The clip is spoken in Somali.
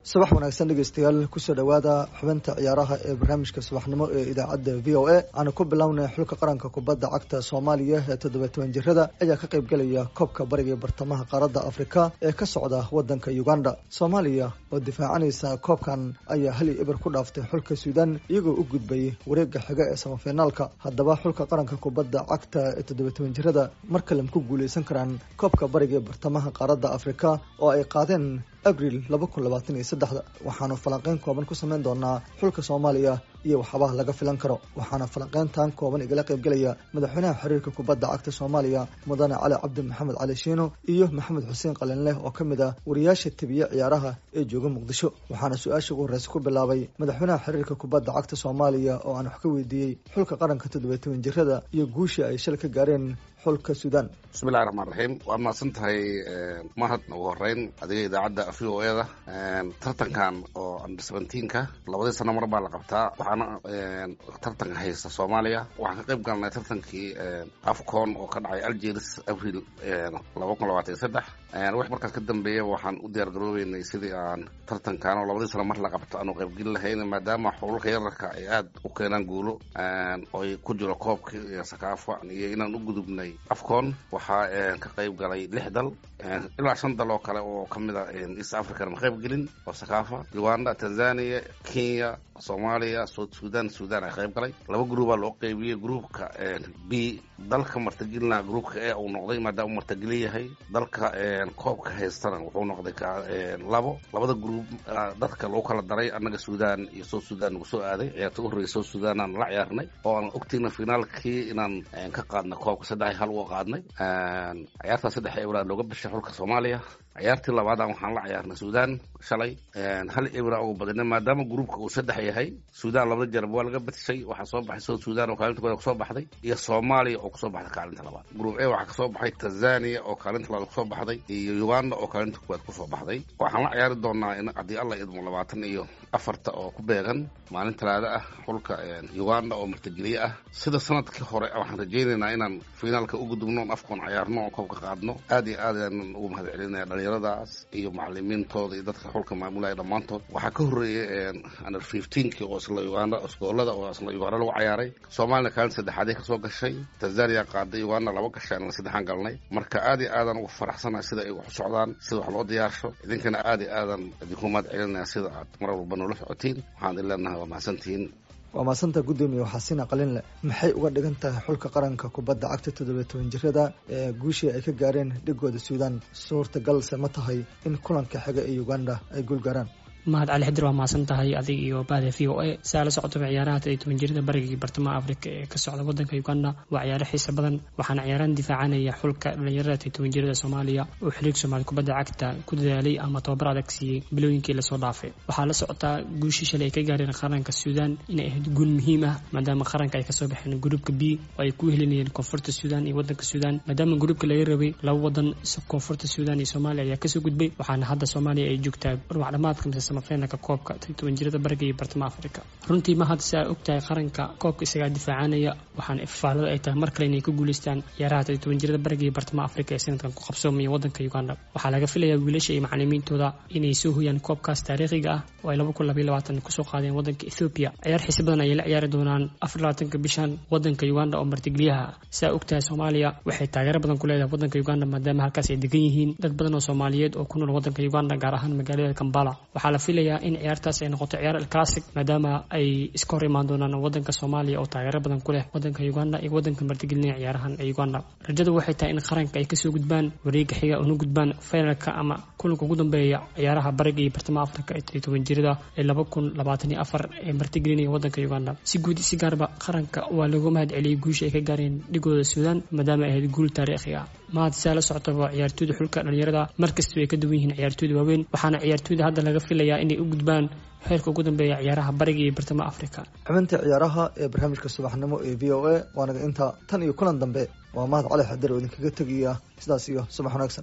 Subax wanaagsan dhegeystayaal, kusoo dhowaada xubinta ciyaaraha ee barnaamijka subaxnimo ee idaacadda VOA. Aanu ku bilownay xulka qaranka kubadda cagta Soomaaliya ee 17 jirada ayaa ka qaybgelaya koobka bariga bartamaha qaaradda Afrika ee ka socda wadanka Uganda. Soomaaliya oo difaacanaysa koobkan ayaa 1-0 ku dhaaftay xulka Suudan, iyagoo u gudbay wareega xiga ee samafinaalka. Haddaba xulka qaranka kubadda cagta ee 17 jirada mar kale ma ku guuleysan karaan koobka bariga bartamaha qaaradda Afrika oo ay qaadeen Abril 2023-da? Waxaanu falanqeyn kooban ku samayn doonaa xulka Soomaaliya iyo waxyaabaha laga filan karo. Waxaana falanqeyntan kooban igala qaybgelaya madaxweynaha xiriirka kubadda cagta Soomaaliya, mudane Cali Cabdi Maxamed Cali Shiino, iyo Maxamed Xuseen Qalinleh oo ka mid ah wariyaasha tebiye ciyaaraha ee jooga Muqdisho. Waxaana su-aasha ugu horreysa ku bilaabay madaxweynaha xiriirka kubadda cagta Soomaaliya oo aan wax ka weydiiyey xulka qaranka 17 jirada iyo guushii ay shal ka gaareen xulka Suudaan. Bismillahi raxmaan raxiim, waad mahadsan tahay mahad. Ugu horeyn adiga idaacadda VOA-da. Tartankan oo under 17-ka labadii sano mar baa la qabtaa, waxaana tartanka haysta Soomaaliya. Waxaan ka qayb galnay tartankii AFCON oo ka dhacay Algeris Abril 2023. Wix markaas ka dambeeya waxaan u diyaar garoobeynay sidii aan tartankan oo labadii sano mar la qabto aanu qaybgeli lahayn, maadaama xulalka yararka ay aada u keenaan guulo oy ku jiro koobka iyo Sakaafa iyo inaan u gudubnay AFCON. Waxaa ka qayb galay lix dal ilaa shan dal oo kale oo ka mid a East African ma qayb gelin, oo Sakaafa, Uganda, Tanzania, Kenya, Soomaaliya, South Sudan, Sudan ay qayb galay. Laba groupaa loo qeybiyey. Groupka B dalka martigelina groupka A uu noqday, maadaama uu martigelin yahay. Dalka koobka haystana wuxuu noqday labo. Labada group dadka lagu kala daray, annaga Sudan iyo South Sudan nagu soo aaday. Ciyaarta u horreysay South Sudan aan la ciyaarnay oo aan ogtiina finaalkii inaan ka qaadnay koobka, 3-1 uga qaadnay. Ciyaartaa 3-0 looga bashay xulka Soomaaliya. Ciyaartii labaadaan waxaan la ciyaarnay Sudan shalay, 1-0 uga badinay. Maadaama groupka uu saddex yahay, Sudan labada jarab waa laga badshay. Waxaa soo baxay South Sudan oo kaalinta koowaad kusoo baxday iyo Soomaaliya oo kusoo baxday kaalinta labaad. Group A waxaa kasoo baxay Tanzania oo kaalinta labaad kusoo baxday iyo Uganda oo kaalinta koowaad kusoo baxday. Waxaan la ciyaari doonaa in haddii Alla idmo 24-ta oo ku beegan maalin Talaada ah xulka Uganda oo martigeliye ah. Sida sanadkii hore waxaan rajaynaynaa inaan finaalka u gudubno oon AFCON ciyaarno oo koobka qaadno. Aad iyo aad ayaan ugu mahad celinaya dhalinyaradaas iyo macalimiintooda iyo dadka xulka maamulaya dhammaantood. Waxaa ka horreeyay under 15-kii oo isla Uganda, iskoolada oo isla Uganda lagu cayaaray. Soomaalina kaalin saddexaadii kasoo gashay, Tanzania qaaday, Uganda laba gashay, anna saddexaan galnay. Marka aad iyo aadaan ugu faraxsanahay sida ay wax u socdaan, sida wax loo diyaarsho. Idinkana aad iyo aadan idinku mahad celinaya sida aad mar walba noola socotiin. Waxaan idin leenahay waa mahadsantihiin. Waa mahadsanta guddoomiye. Waxaasina Qalinle, maxay uga dhigan tahay xulka qaranka kubadda cagta 17 jirada ee guushii ay ka gaareen dhigooda Suudan? Suurtagalse ma tahay in kulanka xiga ee Uganda ay guul gaaraan? Mahad Cali Xidir, waa mahadsan tahay adig iyo bahda VOA. Saa la socotaba, ciyaaraha 17 jirada bariga iyo bartamaha Afrika ee ka socda wadanka Uganda waa ciyaaro xiisa badan. Waxaana ciyaarahan difaacanaya xulka dhalinyarada 17 jirada Soomaaliya oo xiriirka Soomaaliya kubadda cagta ku dadaalay ama tababar adag siiyey bilooyinkii lasoo dhaafay. Waxaa la socotaa guushii shalay ay ka gaareen qaranka Suudan inay ahayd guul muhiim ah, maadaama qaranka ay kasoo baxeen gruupka B oo ay ku helinayeen Koonfurta Suudan iyo wadanka Suudan. Maadaama gruupka laga rabay laba wadan, Koonfurta Suudan iyo Soomaaliya ayaa kasoo gudbay. Waxaana hadda Soomaaliya ay joogtaa ruwax dhamaadka mise samafinalka koobka 17 jirada bariga iyo bartamaha Afrika. Runtii mahad, si aa ogtahay, qaranka koobka isagaa difaacanaya. Waxaana ifaalada ay tahay mar kale inay ku guuleystaan ciyaaraha 17 jirada bariga iyo bartamaha Afrika ee sanadkan ku qabsoomaya wadanka Uganda. Waxaa laga filayaa wiilasha iyo macalimiintooda inay soo hoyaan koobkaas taariikhiga ah oo ay 2022 kusoo qaadeen wadanka Ethoobiya. Ciyaar xiisi badan ayay la ciyaari doonaan 24-ka bishan wadanka Uganda oo martigeliyaha. Si aa ogtahay, Soomaaliya waxay taageero badan ku leedahay wadanka Uganda, maadaama halkaas ay degan yihiin dad badan oo Soomaaliyeed oo ku nool wadanka Uganda, gaar ahaan magaalada Kambala. Waxaa la filayaa in ciyaartaas ay noqoto ciyaar alclassic, maadaama ay iska hor imaan doonaan wadanka Soomaaliya oo taageero badan ku leh wadanka Uganda iyo wadanka martigelinaya ciyaarahan ee Uganda. Rajadu waxay tahay in qaranka ay kasoo gudbaan wareega xiga una gudbaan finalka ama kulanka ugu dambeeya ciyaaraha bariga iyo bartamaha Afrika ee 17 jirada ee 2024 ee martigelinaya wadanka Uganda. Si guud si gaarba qaranka waa lagu mahad celiyey guusha ay ka gaareen dhigooda Suudaan, maadaama ay ahayd guul taariikhi ah. Mahad, siaa la socotaba, ciyaartooyda xulka dhalinyarada markasta ay ka duwan yihiin ciyaartooyda waaweyn. Waxaana ciyaartooyda hadda laga filayaa inay u gudbaan heerka ugu dambeeya ciyaaraha bariga iyo bartamaha Afrika. Xubinta ciyaaraha ee barnaamijka subaxnimo ee VOA waanaga intaa. Tan iyo kulan dambe, waa Mahad Cali Xadir oo idinkaga tegaya sidaas iyo subax wanaagsan.